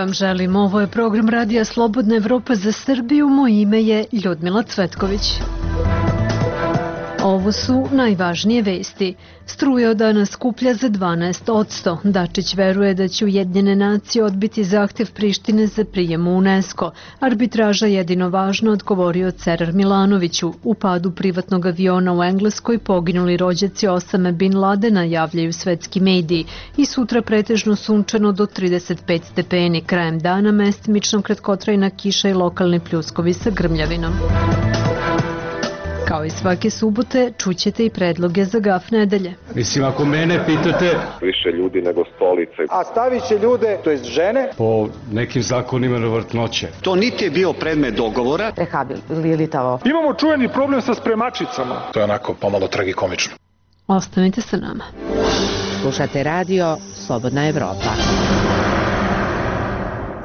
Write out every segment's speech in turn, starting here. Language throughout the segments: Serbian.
vam želim. Ovo je program Radija Slobodna Evropa za Srbiju. Moje ime je Ljudmila Cvetković. Ovo su najvažnije vesti. Struja od danas skuplja za 12%. Dačić veruje da će Ujedinjene nacije odbiti zahtev Prištine za prijem u UNESCO. Arbitraža jedino važno, odgovorio Cerar Milanoviću. U padu privatnog aviona u Engleskoj poginuli rođaci Osame Bin Ladena, javljaju svetski mediji. I sutra pretežno sunčano do 35 stepeni. Krajem dana mestimično kratkotrajna kiša i lokalni pljuskovi sa grmljavinom. Kao i svake subote, čućete i predloge za GAF nedelje. Mislim, ako mene pitate... Više ljudi nego stolice. A stavit će ljude, to jest žene... po nekim zakonima na vrtnoće. To niti je bio predmet dogovora. Rehabilitavao. Imamo čuveni problem sa spremačicama. To je onako pomalo tragikomično. Ostanite sa nama. Slušate radio Slobodna Evropa.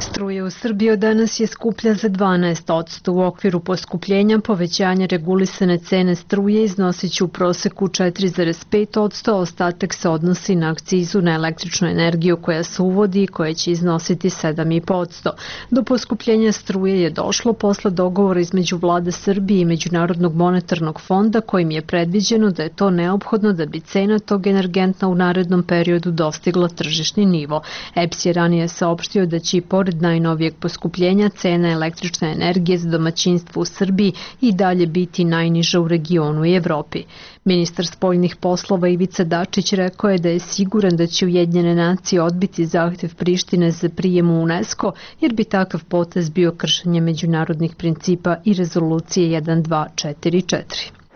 Struja u Srbiji od danas je skuplja za 12%. U okviru poskupljenja povećanja regulisane cene struje iznosit će u proseku 4,5%, a ostatak se odnosi na akcizu na električnu energiju koja se uvodi i koja će iznositi 7,5%. Do poskupljenja struje je došlo posle dogovora između Vlade Srbije i Međunarodnog monetarnog fonda, kojim je predviđeno da je to neophodno da bi cena tog energenta u narednom periodu dostigla tržišni nivo. EPS je ranije saopštio da će i pored najnovijeg poskupljenja cena električne energije za domaćinstvo u Srbiji i dalje biti najniža u regionu i Evropi. Ministar spoljnih poslova Ivica Dačić rekao je da je siguran da će Ujedinjene nacije odbiti zahtev Prištine za prijem u UNESCO, jer bi takav potez bio kršenje međunarodnih principa i rezolucije 1244.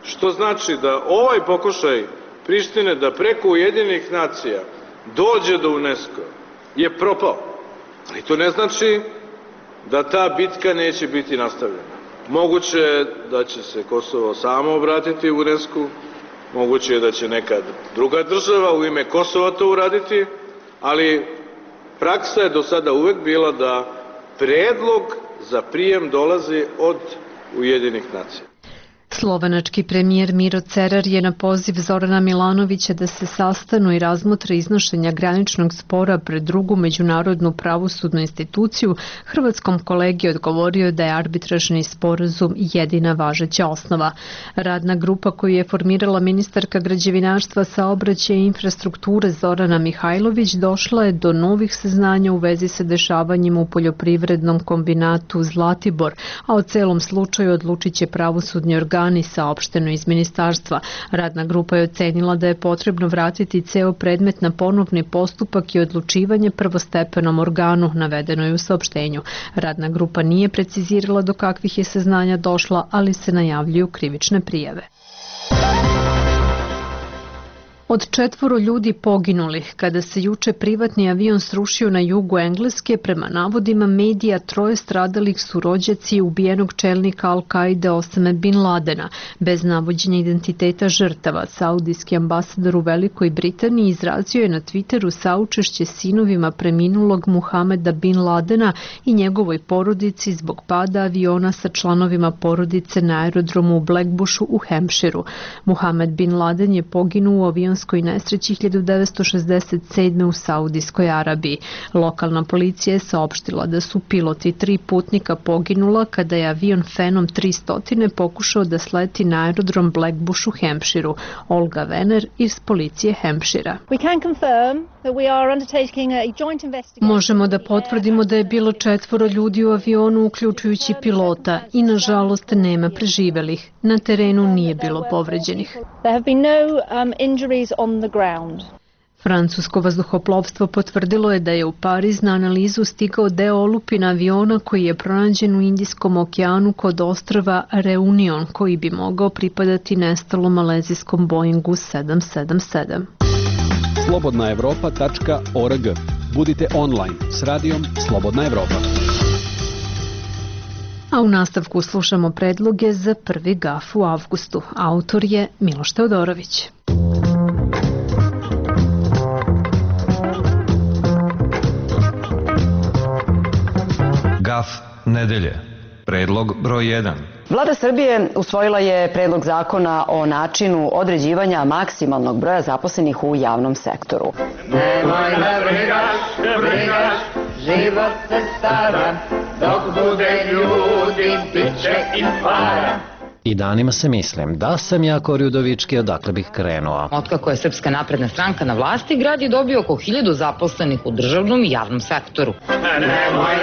Što znači da ovaj pokušaj Prištine da preko Ujedinjenih nacija dođe do UNESCO je propao. Ali to ne znači da ta bitka neće biti nastavljena. Moguće je da će se Kosovo samo obratiti u UNESCO, moguće je da će neka druga država u ime Kosova to uraditi, ali praksa je do sada uvek bila da predlog za prijem dolazi od Ujedinjenih nacija. Slovenački premijer Miro Cerar je na poziv Zorana Milanovića da se sastanu i razmotre iznošenja graničnog spora pred drugu međunarodnu pravosudnu instituciju hrvatskom kolegi odgovorio da je arbitražni sporazum jedina važeća osnova. Radna grupa koju je formirala ministarka građevinarstva, saobraćaja i infrastrukture Zorana Mihajlović došla je do novih saznanja u vezi sa dešavanjima u poljoprivrednom kombinatu Zlatibor, a o celom slučaju odlučit će pravosudni organi, saopšteno iz ministarstva. Radna grupa je ocenila da je potrebno vratiti ceo predmet na ponovni postupak i odlučivanje prvostepenom organu, navedeno je u saopštenju. Radna grupa nije precizirala do kakvih je saznanja došla, ali se najavljuju krivične prijave. Od 4 ljudi poginulih, kada se juče privatni avion srušio na jugu Engleske, prema navodima medija 3 stradalih su rođaci ubijenog čelnika Al-Kaide Osame Bin Ladena. Bez navođenja identiteta žrtava, saudijski ambasador u Velikoj Britaniji izrazio je na Twitteru saučešće sinovima preminulog Muhameda Bin Ladena i njegovoj porodici zbog pada aviona sa članovima porodice na aerodromu u Blackbushu u Hampshireu. Muhamed Bin Laden je poginuo u avionskoj nesreći 1967. u Saudijskoj Arabiji. Lokalna policija je saopštila da su pilot i 3 putnika poginula kada je avion Phenom 300 pokušao da sleti na aerodrom Blackbush u Hampshireu. Olga Vener iz policije Hampshira. Možemo da potvrdimo da je bilo 4 ljudi u avionu, uključujući pilota, i nažalost nema preživelih. Na terenu nije bilo povređenih. Francusko vazduhoplovstvo potvrdilo je da je u Pariz na analizu stigao deo olupina aviona koji je pronađen u Indijskom okeanu kod ostrva Reunion, koji bi mogao pripadati nestalom malezijskom Boeingu 777. slobodnaevropa.org. Budite online s radijom Slobodna Evropa. A u nastavku slušamo predloge za prvi GAF u avgustu. Autor je Miloš Teodorović. GAF nedelje. Predlog broj 1. Vlada Srbije usvojila je predlog zakona o načinu određivanja maksimalnog broja zaposlenih u javnom sektoru. Nemoj da brigaš, život se stara, dok bude ljudi, bit će i para. I danima se mislim, da sam ja Kori Udovički, odakle bih krenuo. Otkako je Srpska napredna stranka na vlasti, grad je dobio oko 1000 zaposlenih u državnom i javnom sektoru. Nemoj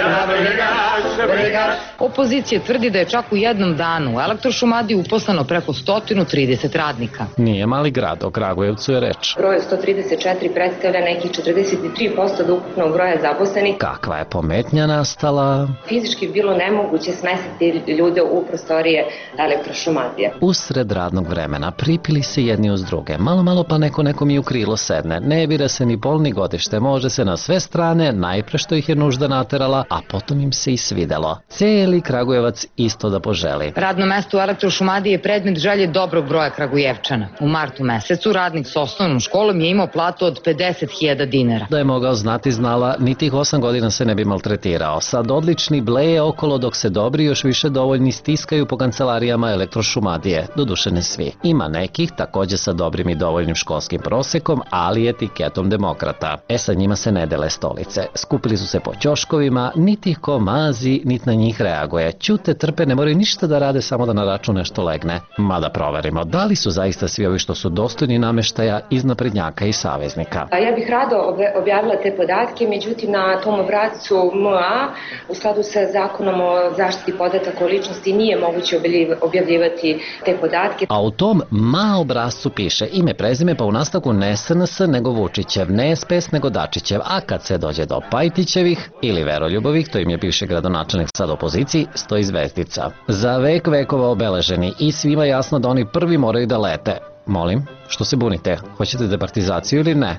da brigaš. Opozicija tvrdi da je čak u jednom danu u Elektrošumadiji uposleno preko 130 radnika. Nije mali grad, o Kragujevcu je reč. Broj 134 predstavlja nekih 43% od ukupnog broja zaposlenih. Kakva je pometnja nastala? Fizički je bilo nemoguće smestiti ljude u prostorije Elektrošumadije. Usred radnog vremena pripili se jedni uz druge. Malo pa neko mi u krilo sedne. Ne bira se ni pol ni godište. Može se na sve strane, najpre što ih je nužda naterala, a potom im se i svidelo. Cijeli Kragujevac isto da poželi. Radno mesto u Elektrošumadiji je predmet želje dobrog broja Kragujevčana. U martu mesecu radnik s osnovnom školom je imao platu od 50.000 dinara. Da je mogao znati, znala, ni tih 8 godina se ne bi maltretirao. Sad odlični bleje okolo dok se dobri još više dovoljni stiskaju po kancelarijama Elektrošumadije, doduše ne svi. Ima nekih, također sa dobrim i dovoljnim školskim prosekom, ali etiketom demokrata. Sa njima se ne dele stolice. Skupili su se po ćoškovima, niti ih ko mazi, niti na njih reaguje. Ćute, trpe, ne moraju ništa da rade, samo da na račun nešto legne. Mada proverimo, da li su zaista svi ovi što su dostojni nameštaja iz naprednjaka i saveznika. Ja bih rado objavila te podatke, međutim na tom obrascu MA, u skladu sa zakonom o zaštiti podataka o ličnosti, nije moguće objavljivati te podatke. A u tom MA obrascu piše ime, prezime, pa u nastavku ne SNS nego Vučićev, ne SPS nego Dačićev, a kad se dođe do Pajtićevih ili Veroljubovih, to im je bivši gradonačelnik sad opoziciji, stoji zvezdica. Za vek vekova obeleženi i svima jasno da oni prvi moraju da lete. Molim, što se bunite? Hoćete departizaciju ili ne?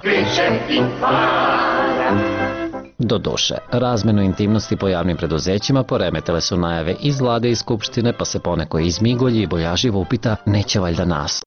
Doduše, razmenu intimnosti po javnim preduzećima poremetile su najave iz vlade i skupštine, pa se poneko izmigolji i boljaživo upita, neće valjda nas.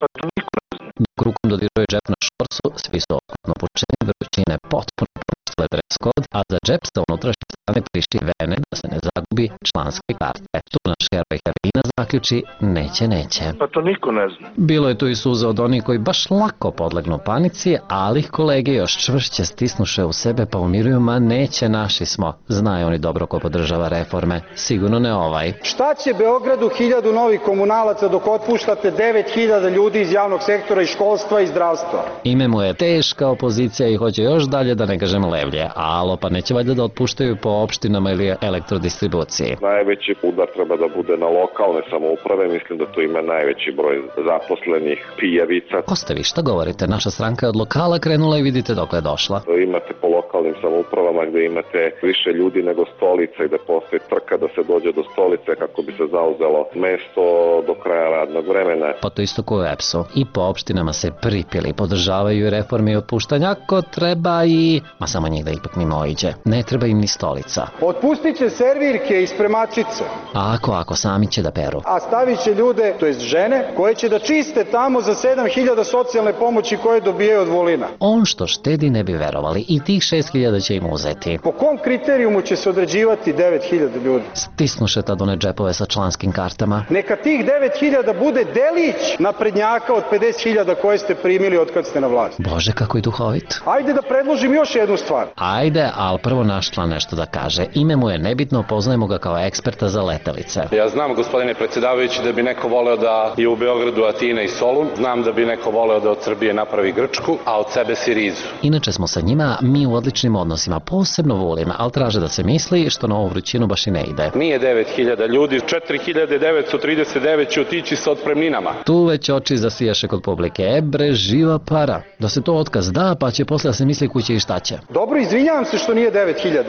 Dok rukom dodiruje džep na šorcu, svi su okutno pučeni, vrućine potpuno poništile dress code, a za džep sa unutrašnje strane priši vene da se ne zagubi članske karte. Tu naš heroj heroina zaključi, neće. Pa to niko ne zna. Bilo je tu i suza od onih koji baš lako podlegnu panici, ali ih kolege još čvršće stisnuše u sebe pa umiruju, ma neće, naši smo. Znaju oni dobro ko podržava reforme, sigurno ne ovaj. Šta će Beogradu 1000 novih komunalaca dok otpuštate 9000 ljudi iz javnog sektora, iz školstva i zdravstva? Ime mu je teška opozicija i hoće još dalje, da ne kažem levlje. Alo, pa neće valjda da otpuštaju po opštinama ili elektrodistribuciji. Najveći udar treba da bude na lokalne samouprave, mislim da tu ima najveći broj zaposlenih pijavica. Ostavi, šta govorite, naša stranka je od lokala krenula i vidite dokle je došla. Imate po lokalnim samoupravama gde imate više ljudi nego stolica i da postoji trka da se dođe do stolice kako bi se zauzelo mesto do kraja radnog vremena. Pa to isto ko u EPS-u. I po opštinama se pripili, podržavaju reforme i otpuštanja ako treba i... Ma samo njih da ipak mimo oiđe. Ne treba im ni stolica. Otpustit će servirke i spremačice. A ako sami će da peru. A stavit će ljude, to jest žene, koje će da čiste tamo za 7000 socijalne pomoći koje dobijaju od Vulina. On što štedi ne bi verovali i tih 6000 će im uzeti. Po kom kriterijumu će se određivati 9000 ljudi? Stisnuše tad one džepove sa članskim kartama. Neka tih 9000 bude delić naprednjaka od 50.000 koje ste primili od kad ste na vlasti. Bože, kako je duhovit. Ajde da predložim još jednu stvar. Ajde, ali prvo naš član nešto da kaže. Ime mu je nebitno, poznajemo ga kao eksperta za letelice. Ja znam, gospodine predsjedavajući, da bi neko voleo da je u Beogradu Atina i Solun. Znam da bi neko voleo da od Srbije napravi Grčku, a od sebe Sirizu. Inače smo sa njima mi u odličnim odnosima, posebno Vulin, ali traže da se misli što na ovu vrućinu baš i ne ide. Nije 9000 ljudi, 4939 će otići sa otpremninama. Tu već oči zasijaše kod publike. Bre, živa para. Da se to otkaz da, pa će posle da se misli kuće i šta će. Dobro, izvinjavam se što nije 9000,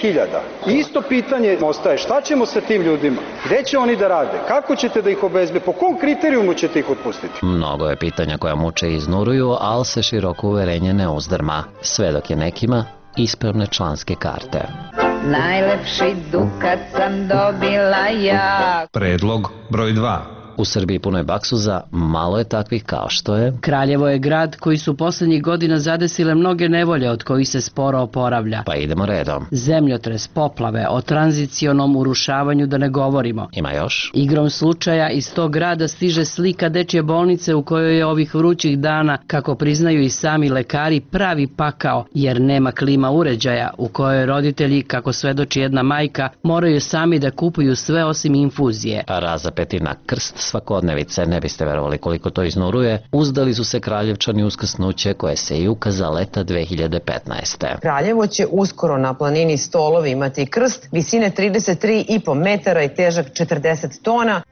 6000. Isto pitanje ostaje, šta ćemo sa tim ljudima? Gde će oni da rade? Kako ćete da ih obezbedite? Po kom kriterijumu ćete ih otpustiti? Mnogo je pitanja koja muče i iznuruju, ali se široko uverenje ne uzdrma. Sve dok je nekima ispravne članske karte. Najlepši dukat sam dobila ja. Predlog broj 2. U Srbiji punoj baksuza malo je takvih kao što je... Kraljevo je grad koji su poslednjih godina zadesile mnoge nevolje od kojih se sporo oporavlja. Pa idemo redom. Zemljotres, poplave, o tranzicionom urušavanju da ne govorimo. Ima još? Igrom slučaja iz tog grada stiže slika dečje bolnice u kojoj je ovih vrućih dana, kako priznaju i sami lekari, pravi pakao, jer nema klima uređaja, u kojoj roditelji, kako svedoči jedna majka, moraju sami da kupuju sve osim infuzije. Razapeti na krst svakodnevice, ne biste verovali koliko to iznuruje, uzdali su se Kraljevčani uskrsnuće koje se i ukaza leta 2015. Kraljevo će uskoro na planini Stolovi imati krst visine 33,5 metara i težak 40 tona.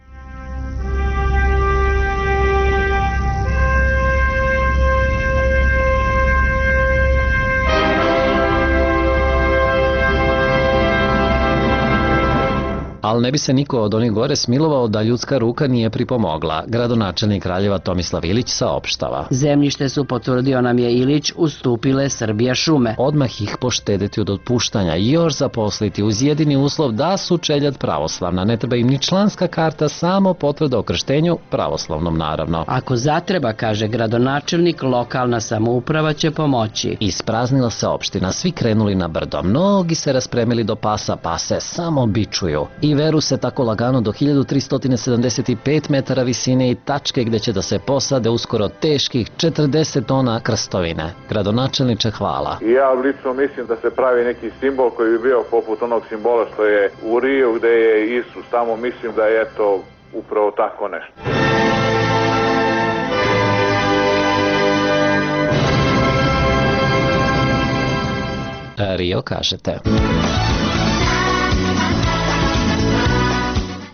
Ali ne bi se niko od onih gore smilovao da ljudska ruka nije pripomogla. Gradonačelnik Kraljeva Tomislav Ilić saopštava. Zemljište su, potvrdio nam je Ilić, ustupile Srbija šume. Odmah ih poštedeti od otpuštanja i još zaposliti uz jedini uslov da su čeljad pravoslavna. Ne treba im ni članska karta, samo potvrda o krštenju, pravoslavnom naravno. Ako zatreba, kaže gradonačelnik, lokalna samouprava će pomoći. Ispraznila se opština, svi krenuli na brdo. Mnogi se raspremili do pasa, pa se samo bičuju. I veru se tako lagano do 1375 metara visine i tačke gde će da se posade uskoro teških 40 tona krstovine. Gradonačelniče, hvala. Ja lično mislim da se pravi neki simbol koji bi bio poput onog simbola što je u Riju gde je Isus. Tamo mislim da je to upravo tako nešto. Rio, kažete.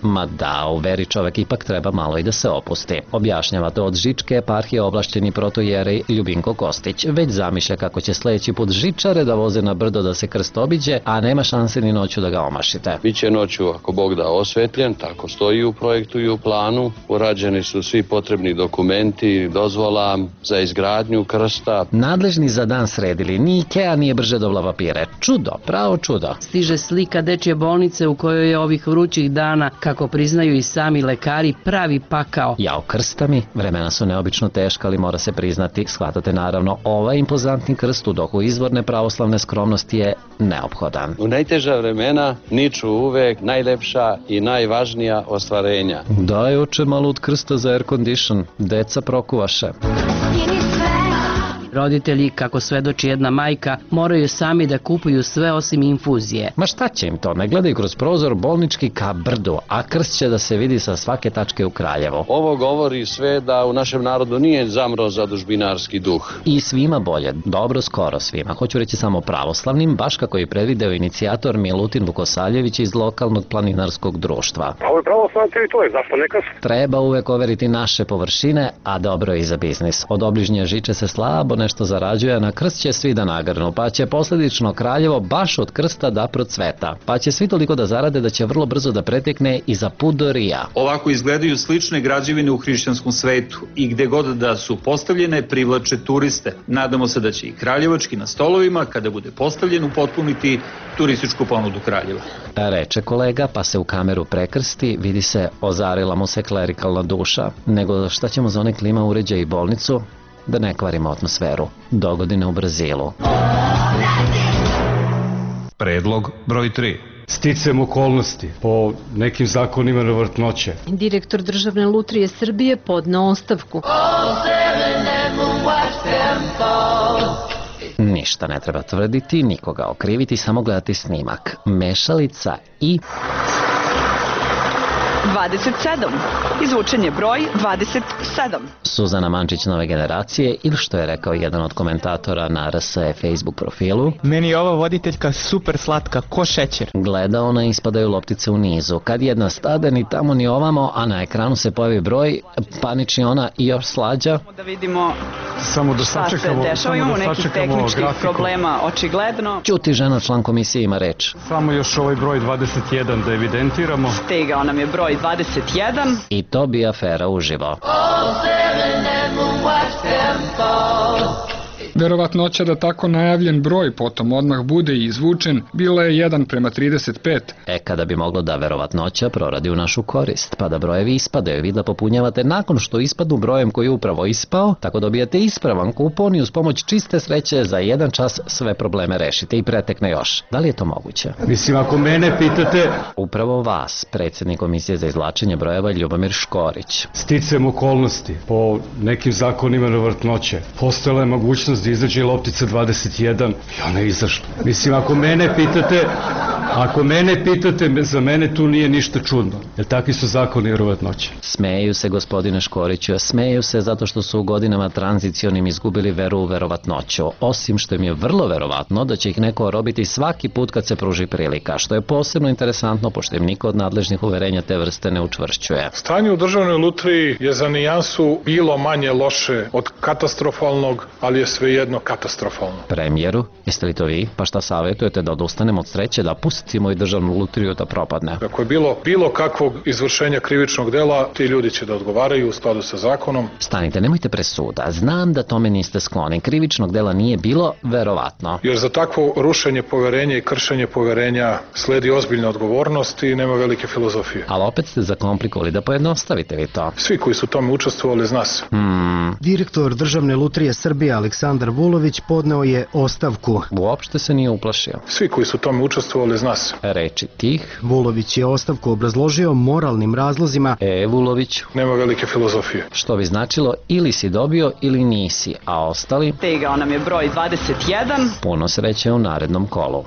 Ma da, u veri čovek ipak treba malo i da se opusti. Objašnjava to od Žičke eparhije ovlašćeni protojerej Ljubinko Kostić. Već zamišlja kako će sledeći put žičare da voze na brdo da se krst obiđe, a nema šanse ni noću da ga omašite. Biće noću, ako Bog da, osvetljen, tako stoji u projektu i u planu. Urađeni su svi potrebni dokumenti, dozvola za izgradnju krsta. Nadležni za dan sredili, ni Ikea nije brže dobla papire. Čudo, pravo čudo. Stiže slika dečje bolnice u kojoj je ovih vrućih dana, kako priznaju i sami lekari, pravi pakao. Jao krsta mi, vremena su neobično teška, ali mora se priznati, shvatate naravno, ovaj impozantni krst u dohu izvorne pravoslavne skromnosti je neophodan. U najteža vremena niču uvek najlepša i najvažnija ostvarenja. Daj oče malo od krsta za air condition, deca prokuvaše. Roditelji, kako svedoči jedna majka, moraju sami da kupuju sve osim infuzije. Ma šta će im to? Ne gledaju kroz prozor bolnički ka brdu, a krst će da se vidi sa svake tačke u Kraljevo. Ovo govori sve da u našem narodu nije zamro zadužbinarski duh. I svima bolje, dobro skoro svima. Hoću reći samo pravoslavnim, baš kako je predvideo inicijator Milutin Vukosaljević iz lokalnog planinarskog društva. Ovo je pravoslavna teritorija, zašto ne krst? Treba uvek overiti naše površine, a dobro je i za biznis. Od obližnje žiče se slabo nešto zarađuje, a na krst će svi da nagrnu, pa će posledično Kraljevo baš od krsta da procveta. Pa će svi toliko da zarade da će vrlo brzo da pretekne i za put do Rija. Ovako izgledaju slične građevine u hrišćanskom svetu i gde god da su postavljene privlače turiste. Nadamo se da će i kraljevački na stolovima, kada bude postavljen, upotpuniti turističku ponudu Kraljeva. Reče kolega, pa se u kameru prekrsti, vidi se, ozarila mu se klerikalna duša. Nego šta ćemo za one klima uređaje i bolnicu? Da ne kvarimo atmosferu. Dogodine u Brazilu. Predlog broj 3. Sticam okolnosti po nekim zakonima na vrtnoće. Direktor Državne lutrije Srbije podneo ostavku. Ništa ne treba tvrditi, nikoga okriviti, samo gledati snimak. Mešalica i... 27. Izvučen je broj 27. Suzana Mančić nove generacije, ili što je rekao jedan od komentatora na RSE Facebook profilu. Meni je ova voditeljka super slatka, ko šećer. Gleda ona, ispadaju loptice u nizu. Kad jedna stade, ni tamo ni ovamo, a na ekranu se pojavi broj, panični ona i još slađa. Da vidimo šta se dešava, imamo nekih tehničkih problema, očigledno. Ćuti, žena, član komisije ima reč. Samo još ovaj broj 21 da evidentiramo. Stigao nam je broj 21. I to bi afera uživo. Verovatnoća da tako najavljen broj potom odmah bude izvučen bila je 1:35. Kada bi moglo da verovatnoća proradi u našu korist, pa da brojevi ispadaju, vi da popunjavate nakon što ispadnu brojem koji je upravo ispao, tako dobijate ispravan kupon i uz pomoć čiste sreće za 1 čas sve probleme rešite i pretekne još. Da li je to moguće? Mislim, ako mene pitate... Upravo vas, predsjednik Komisije za izvlačenje brojeva Ljubomir Škorić. Sticajem okolnosti, po nekim zakonima verovatnoće, postojala je mogućnost da izađe loptica 21 i ona je izašla. Mislim, ako mene pitate, za mene tu nije ništa čudno, jer takvi su zakoni verovatnoće. Smeju se, gospodine Škoriću, smeju se zato što su u godinama tranzicionim izgubili veru u verovatnoću, osim što im je vrlo verovatno da će ih neko orobiti svaki put kad se pruži prilika, što je posebno interesantno pošto im niko od nadležnih uverenja te vrste ne učvršćuje. Stanje u državnoj lutriji je za nijansu bilo manje loše od katastrofalnog, ali je svejedno katastrofalno. Premijeru, jeste li to vi? Pa šta savjetujete, da odustanemo od sreće, da pustimo i državnu lutriju da propadne? Ako je bilo kakvog izvršenja krivičnog dela, ti ljudi će da odgovaraju u skladu sa zakonom. Stanite, nemojte presuda. Znam da tome niste skloni. Krivičnog dela nije bilo, verovatno. Jer za takvo rušenje poverenja i kršenje poverenja sledi ozbiljna odgovornost i nema velike filozofije. Ali opet ste zakomplikovali, da pojednostavite vi to. Svi koji su tome učestvovali zna se. Direktor Državne lutrije Srbije Aleksandar Vulović podneo je ostavku. Uopšte se nije uplašio. Svi koji su tome učestvovali zna se. Reči tih. Vulović je ostavku obrazložio moralnim razlozima. Vuloviću. Nema velike filozofije. Što bi značilo ili si dobio ili nisi, a ostali... Stigao nam je broj 21. Puno sreće u narednom kolu.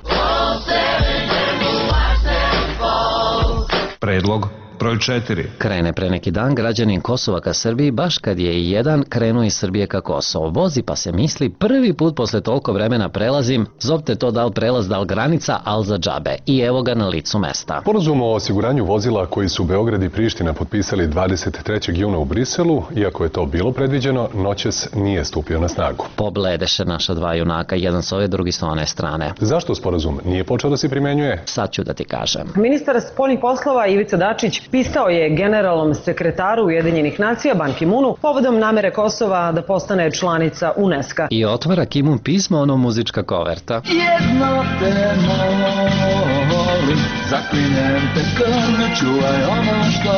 Predlog broj 4. Krene pre neki dan građanin Kosova ka Srbiji, baš kad je i jedan krenuo iz Srbije ka Kosovo. Vozi pa se misli, prvi put posle toliko vremena prelazim, zovte to da li prelaz, da li granica, al za džabe. I evo ga na licu mesta. Sporazum o osiguranju vozila koji su Beograd i Priština potpisali 23. juna u Briselu, iako je to bilo predviđeno, noćas nije stupio na snagu. Pobledeše naša dva junaka, jedan s ove, drugi s one strane. Zašto sporazum nije počeo da se primenjuje? Sad ću da ti kažem. Ministar spoljnih poslova Ivica Dačić pisao je generalnom sekretaru Ujedinjenih nacija Ban Ki-moonu povodom namere Kosova da postane članica UNESCO. I otvara Ki-moon pismo, ono muzička koverta. Jedno te molim, zaklinem te krme, čuvaj ono što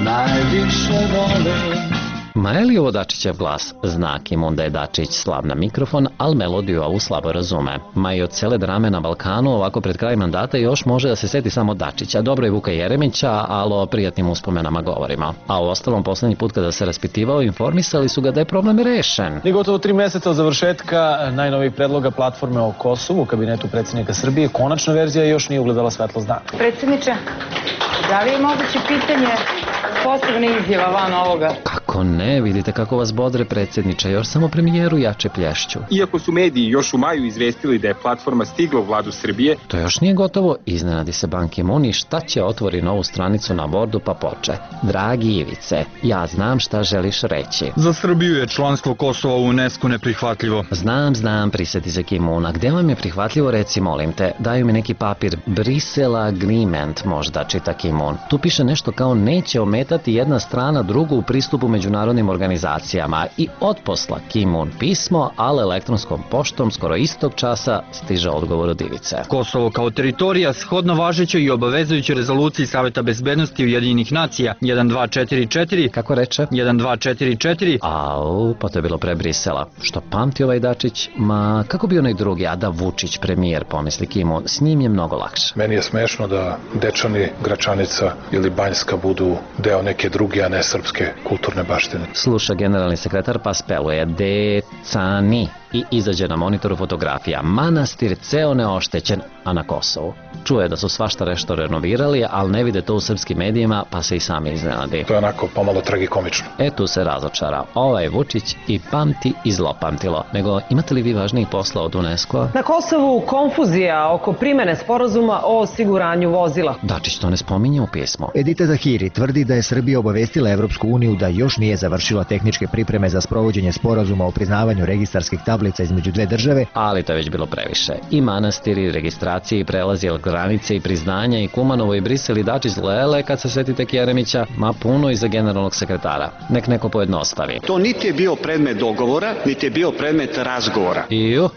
najviše volim. Ma je li ovo Dačićev glas? Zna Ki-moon da je Dačić slab na mikrofon, ali melodiju ovu slabo razume. Ma i od cele drame na Balkanu, ovako pred kraj mandata još može da se seti samo Dačića. Dobro je Vuka Jeremića, ali o prijatnim uspomenama govorimo. A u ostalom, poslednji put kada se raspitivao, informisali su ga da je problem rešen. Ni gotovo 3 meseca od završetka najnovih predloga platforme o Kosovu u kabinetu predsjednika Srbije, konačna verzija još nije ugledala svetlost dana. Predsjedniče, da li je moguće pitanje posebne izjava van ovoga? Kako ne, vidite kako vas bodre predsjedniče, još samo premijeru jače plješću. Iako su mediji još u maju izvestili da je platforma stigla u vladu Srbije, to još nije gotovo, iznenadi se Ban Ki-moon i šta će otvori novu stranicu na bordu pa poče. Dragi Ivice, ja znam šta želiš reći. Za Srbiju je članstvo Kosova u UNESCO neprihvatljivo. Znam, priseti se Ki-moona. Gde vam je prihvatljivo, reci molim te. Daju mi neki papir, Brussels Agreement možda, čita Ki-moon. Tu piše nešto kao neće ometati jedna strana drugu u pristupu međunarodnim organizacijama i otposla Ki-moon pismo, ali elektronskom poštom skoro istog časa stiže odgovor od Ivice. Kosovo kao teritorija shodno važećoj i obavezujućoj rezoluciji Saveta bezbednosti Ujedinjenih nacija 1244. Kako reče? 1244. Au, pa to je bilo pre Brisela. Što pamti ovaj Dačić? Ma, kako bi onaj drugi, a da Vučić premijer, pomisli Ki-moon, s njim je mnogo lakše. Meni je smešno da Dečani, Gračanica ili Banjska budu deo neke druge, a ne srpske kulturne baštine. Sluša generalni sekretar pa speluje Decani i izađe na monitoru fotografija. Manastir ceo neoštećen, a na Kosovu. Čuje da su svašta nešto renovirali, ali ne vide to u srpskim medijima, pa se i sami iznenadi. To je onako pomalo tragikomično. Tu se razočara. Ovaj Vučić i pamti i zlopamtilo. Nego, imate li vi važnijih posla od UNESCO-a? Na Kosovu konfuzija oko primene sporazuma o osiguranju vozila. Dačić to ne spominje u pismu. Edita Zahiri tvrdi da je Srbija obavestila Evropsku uniju da još još nije završila tehničke pripreme za sprovođenje sporazuma o priznavanju registarskih tablica između dve države, ali to je već bilo previše. I manastiri, registracije i prelazi od granice i priznanja i Kumanovo i Brisel i Dačić lele kad se setite Jeremića, ma puno i za generalnog sekretara. Nek neko pojednostavi. To niti je bio predmet dogovora, niti je bio predmet razgovora.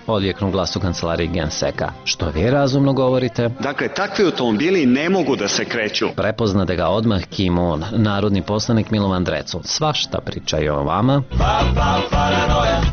Odjeknu glas u kancelariji Genseka. Što vi razumno govorite? Dakle, takvi automobili ne mogu da se kreću. Prepoznate ga odmah Kim-un, narodni poslanik Milovan Drecu. Svašta pričaju o vama,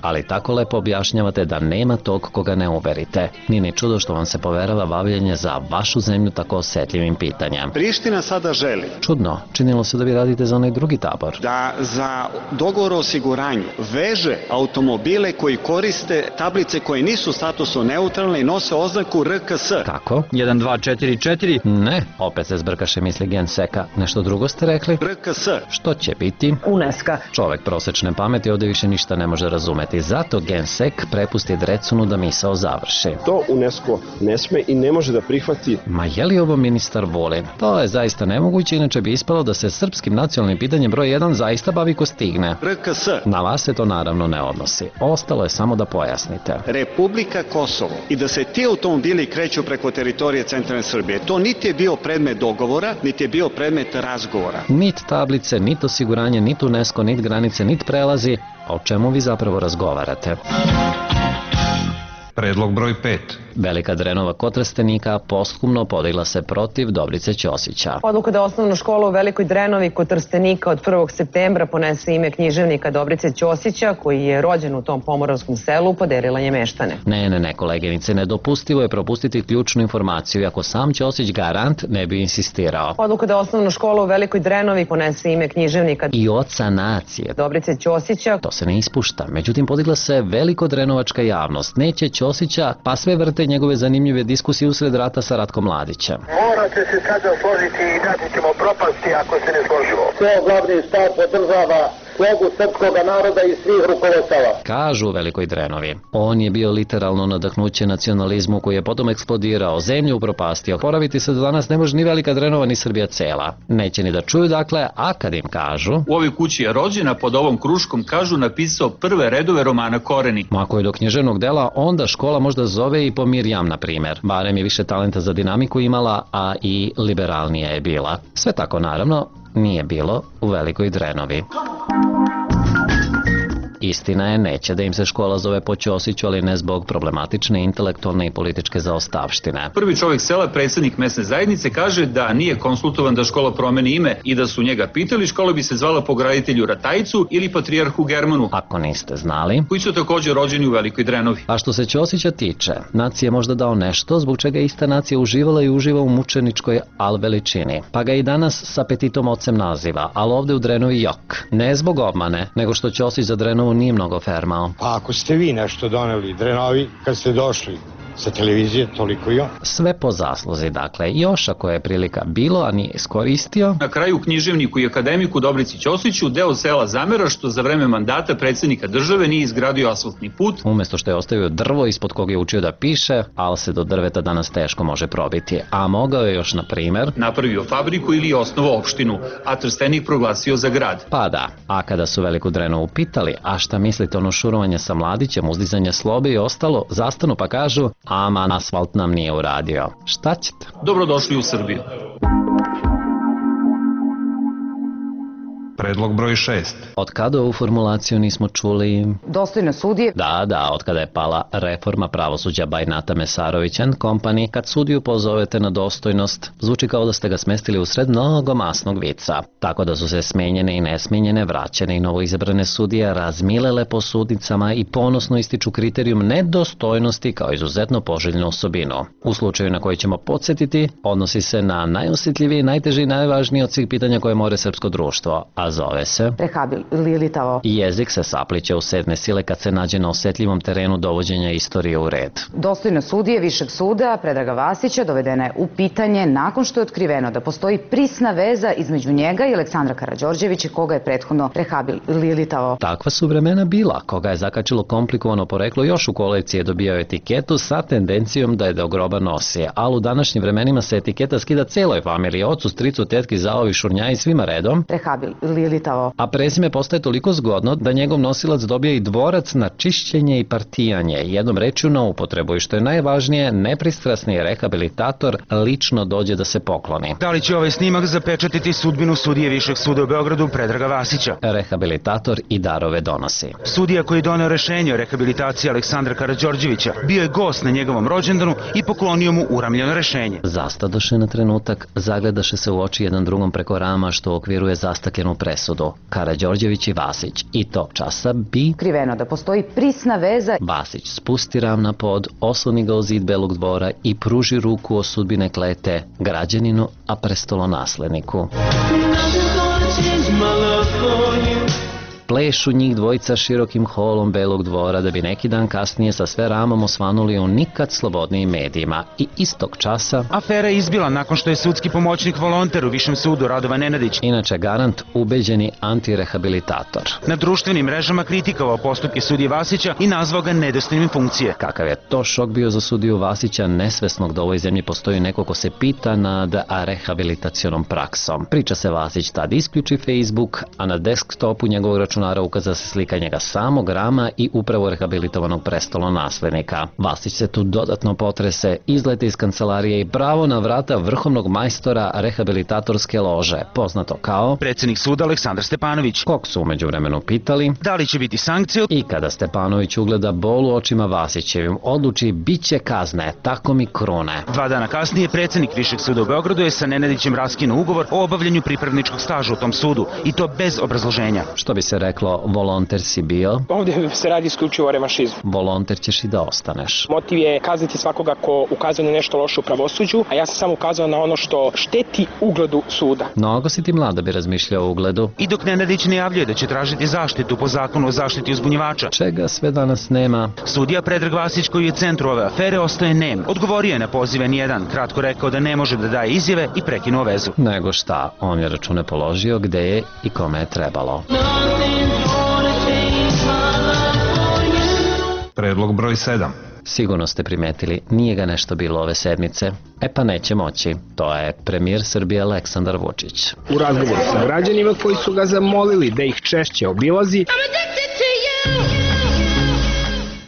ali tako lepo objašnjavate da nema tog koga ne uverite. Nije ni čudo što vam se poverava bavljenje za vašu zemlju tako osetljivim pitanjem. Priština sada želi. Čudno, činilo se da vi radite za onaj drugi tabor. Da za dogovor o osiguranju veže automobile koji koriste tablice koje nisu statusno neutralne i nose oznaku RKS. Kako? 1244? Ne, opet se zbrkaše misli Genseka. Nešto drugo ste rekli? RKS. Što će biti? UNESCO. Čovek prosečne pameti ovde više ništa ne može razumeti. Zato Gensek prepusti Drecunu da misao završi. To UNESCO ne sme i ne može da prihvati. Ma je li ovo ministar Vulin? To je zaista nemoguće, inače bi ispalo da se srpskim nacionalnim pitanjem broj 1 zaista bavi ko stigne. RKS. Na vas se to naravno ne odnosi. Ostalo je samo da pojasnite. Republika Kosovo i da se ti automobili kreću preko teritorije centralne Srbije. To niti je bio predmet dogovora, niti je bio predmet razgovora. Nit tablice, nit osiguranje, nit UNESCO, nit granice, nit prelazi. O čemu vi zapravo razgovarate? Predlog broj 5. Velika Drenova kod Trstenika posthumno podigla se protiv Dobrice Ćosića. Odluka da osnovna škola u Velikoj Drenovi kod Trstenika od 1. septembra ponese ime književnika Dobrice Ćosića, koji je rođen u tom pomoravskom selu, poderila je meštane. Ne, koleginice, nedopustivo je propustiti ključnu informaciju, ako sam Ćosić garant ne bi insistirao. Odluka da osnovna škola u Velikoj Drenovi ponese ime književnika i oca nacije Dobrice Ćosića. To se ne ispušta, međutim podigla se velikodrenovačka javnost. Neće Ćosića, pa sve vrte njegove zanimljive diskusije usred rata sa Ratkom Mladićem. Morate se sada složiti i inače ćemo propasti ako se ne složimo. Sve glavni štab podržava slogu srpskog naroda i svih rukovodstava. Kažu u Velikoj Drenovi. On je bio literalno nadahnuće nacionalizmu koji je potom eksplodirao, zemlju upropastio. Poraviti se do danas ne može ni Velika Drenova ni Srbija cela. Neće ni da čuju, dakle, a kad im kažu... U ovoj kući je rođena, pod ovom kruškom, kažu, napisao prve redove romana Koreni. Ako je do književnog dela, onda škola možda zove i po Mirjam, na primer. Barem je više talenta za dinamiku imala, a i liberalnija je bila. Sve tako, naravno, nije bilo u Velikoj Drenovi. Istina je, neće da im se škola zove po Ćosiću, ali ne zbog problematične intelektualne i političke zaostavštine. Prvi čovjek sela, predsjednik mesne zajednice, kaže da nije konsultovan da škola promeni ime i da su njega pitali, škola bi se zvala po graditelju Ratajcu ili patrijarhu Germanu. Ako niste znali. Koji su također rođeni u Velikoj Drenovi. A što se Ćosića tiče, nacija je možda dao nešto zbog čega ista nacija uživala i uživa u mučeničkoj veličini. Pa ga i danas s apetitom ocem naziva, ali ovde u Drenovi jok. Ne zbog obmane, nego što Ćosić za Drenovu nije mnogo fermao. Pa ako ste vi nešto doneli Drenovi kad ste došli sa televizije, toliko i on. Sve po zasluzi, dakle, još ako je prilika bilo, a nije iskoristio. Na kraju književniku i akademiku Dobrici Ćosiću deo sela zamera što za vreme mandata predsjednika države nije izgradio asfaltni put. Umesto što je ostavio drvo ispod koga je učio da piše, ali se do drveta danas teško može probiti. A mogao je još, na primer, napravio fabriku ili osnovao opštinu, a Trstenik proglasio za grad. Pa da, a kada su Veliku Drenovu pitali, a šta mislite ono šurovanje sa Mladićem, uzdizanje slobe i ostalo, zastanu pa kažu, aman, asfalt nam nije uradio. Šta ćete? Dobrodošli u Srbiju. Predlog broj 6. Od kada ovu formulaciju nismo čuli? Dostojno sudije. Da, od kada je pala reforma pravosuđa Bajnata Mesarović and Company, kad sudiju pozovete na dostojnost, zvuči kao da ste ga smestili u sred mnogo masnog vica. Tako da su se smenjene i nesmenjene, vraćene i novoizabrane sudije razmilele po sudnicama i ponosno ističu kriterijum nedostojnosti kao izuzetno poželjnu osobinu. U slučaju na koji ćemo podsjetiti, odnosi se na najosjetljiviji, najteži i najvažniji od svih pitanja koje more srpsko društvo, a zove se rehabilitavo. Jezik se sapliće u sedme sile kad se nađe na osetljivom terenu dovođenja istorije u red. Dostojno sudije Višeg suda Predraga Vasića dovedena je u pitanje nakon što je otkriveno da postoji prisna veza između njega i Aleksandra Karađorđevića koga je prethodno rehabilitavo. Takva su vremena bila. Koga je zakačilo komplikovano poreklo još u kolekciji je dobijao etiketu sa tendencijom da je do groba nosi, ali u današnjim vremenima se etiketa skida celoj familiji, ocu, stricu, tetki, zaovi, šurnjaji, svima redom. rehabilitovao. A prezime postaje toliko zgodno da njegov nosilac dobija i dvorac na čišćenje i partijanje. Jednom rečju na upotrebu i što je najvažnije, nepristrasni rehabilitator lično dođe da se pokloni. Da li će ovaj snimak zapečatiti sudbinu sudije Višeg suda u Beogradu Predraga Vasića? Rehabilitator i darove donosi. Sudija koji je doneo rešenje o rehabilitaciji Aleksandra Karađorđevića bio je gost na njegovom rođendanu i poklonio mu uramljeno rešenje. Zastadoše na trenutak, zagledaše se u oči jedan drugom preko rama što okviruje zastakljenu presudu. Karađorđević i Vasić. I tog časa bi... Kriveno da postoji prisna veza. Vasić spusti ram na pod, osloni ga o zid Belog dvora i pruži ruku o sudbine klete građaninu, a prestolonasledniku. Plešu njih dvojica širokim holom Belog dvora da bi neki dan kasnije sa sve ramom osvanuli u nikad slobodnijim medijima. I istog časa... Afera je izbila nakon što je sudski pomoćnik volonter u Višem sudu Radovan Nenadić, inače garant, ubeđeni antirehabilitator, na društvenim mrežama kritikovao postupke sudije Vasića i nazvao ga nedostojnim funkcije. Kakav je to šok bio za sudiju Vasića, nesvesnog da u ovoj zemlji postoji neko ko se pita nad rehabilitacionom praksom. Priča se Vasić tad isključi Facebook, a na desktopu njegovog računara ukaza se slika njega samog rama i upravo rehabilitovanog prestolonaslednika. Vasić se tu dodatno potrese, izlete iz kancelarije i pravo na vrata vrhovnog majstora rehabilitatorske lože, poznato kao predsjednik suda Aleksandar Stepanović, kog su umeđu vremenu pitali da li će biti sankcije, i kada Stepanović ugleda bol u očima Vasićevim, odluči biće kazne, tako mi krune. 2 dana kasnije predsjednik Višeg suda u Beogradu je sa Nenadićem raskinuo ugovor o obavljanju pripravničkog staža u tom sudu i to bez obrazloženja. Što bi se reklo, volonter si bio. Ovdje se radi isključivo o revanšizmu. Volonter ćeš i da ostaneš. Motiv je kazniti svakoga ko ukazuje na nešto loše u pravosuđu, a ja sam samo ukazao na ono što šteti ugledu suda. Mnogo si ti mlad da bi razmišljao o ugledu. I dok Nenadić najavljuje da će tražiti zaštitu po zakonu o zaštiti uzbunjivača, čega sve danas nema, sudija Predrag Vasić, koji je u centru ove afere, ostaje nem. Odgovorio je na pozive nijedan, kratko rekao da ne može da daje izjave i prekinuo vezu. Nego šta, on je račune položio gde je i kome je trebalo. Predlog broj 7. Sigurno ste primetili, nije ga nešto bilo ove sedmice. E pa neće moći. To je premijer Srbije Aleksandar Vučić. U razgovoru sa građanima koji su ga zamolili da ih češće obilazi,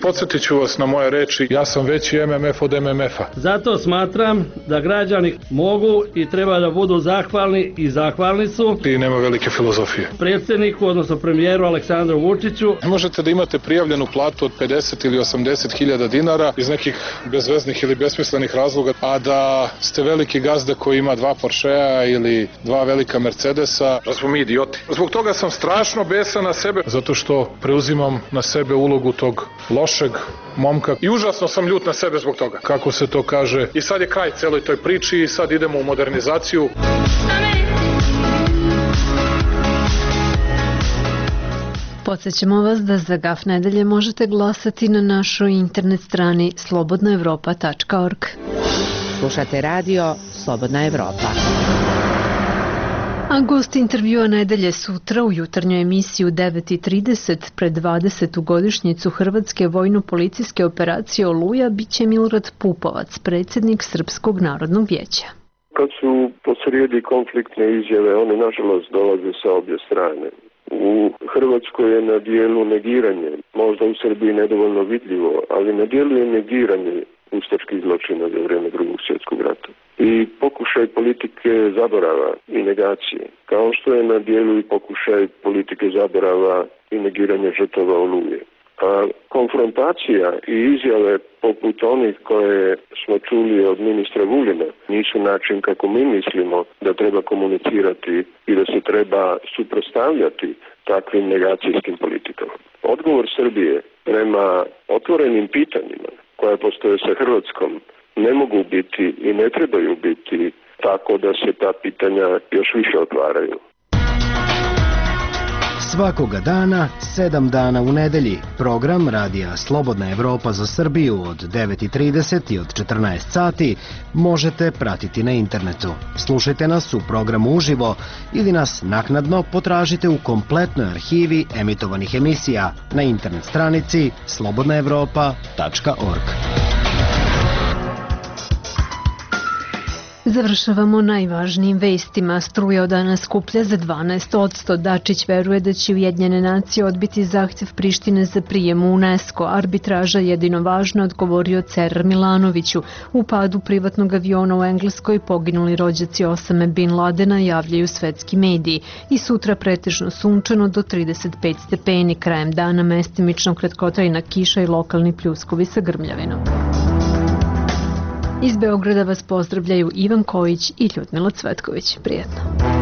podsjetit ću vas na moje reči, ja sam veći MMF od MMF-a. Zato smatram da građani mogu i treba da budu zahvalni i zahvalni su. I nema velike filozofije. Predsjedniku, odnosno premijeru Aleksandru Vučiću. Ne možete da imate prijavljenu platu od 50 ili 80 hiljada dinara iz nekih bezveznih ili besmislenih razloga, a da ste veliki gazda koji ima 2 Porschea ili 2 velika Mercedesa. Da smo mi idioti. Zbog toga sam strašno besan na sebe, zato što preuzimam na sebe ulogu tog lošeg momka i užasno sam ljut na sebe zbog toga. Kako se to kaže, i sad je kraj celoj toj priči i sad idemo u modernizaciju. Podsećamo vas da za GAF nedelje možete glasati na našoj internet strani slobodnaevropa.org. Slušate radio Slobodna Evropa. A gost intervjua nedelje sutra u jutarnjoj emisiji u 9:30 pred 20. godišnjicu Hrvatske vojno-policijske operacije Oluja biće Milorad Pupovac, predsjednik Srpskog narodnog vijeća. Kad su posrijedi konfliktne izjave, one nažalost dolaze sa obje strane. U Hrvatskoj je na dijelu negiranje, možda u Srbiji nedovoljno vidljivo, ali na dijelu je negiranje ustaških zločina za vrijeme Drugog svjetskog rata. I pokušaj politike zaborava i negacije, kao što je na dijelu i pokušaj politike zaborava i negiranja žrtava Oluje. A konfrontacija i izjave poput onih koje smo čuli od ministra Vulina nisu način kako mi mislimo da treba komunicirati i da se treba suprotstavljati takvim negacijskim politikama. Odgovor Srbije prema otvorenim pitanjima koja postoje sa Hrvatskom ne mogu biti i ne trebaju biti tako da se ta pitanja još više otvaraju. Svakoga dana, 7 dana u nedelji, program radija Slobodna Evropa za Srbiju od 9:30 i od 14 sati možete pratiti na internetu. Slušajte nas u programu uživo ili nas naknadno potražite u kompletnoj arhivi emitovanih emisija na internet stranici slobodnaevropa.org. Završavamo najvažnijim vestima. Struja od danas skuplja za 12%. Dačić veruje da će Ujedinjene nacije odbiti zahtjev Prištine za prijem u UNESCO. Arbitraža jedino važno, odgovorio Cerar Milanoviću. U padu privatnog aviona u Engleskoj poginuli rođaci Osame Bin Ladena, javljaju svetski mediji. I sutra pretežno sunčano do 35 stepeni. Krajem dana mestimično kratkotrajna kiša i lokalni pljuskovi sa grmljavinom. Iz Beograda vas pozdravljaju Ivan Kojić i Ljudmila Cvetković. Prijetno.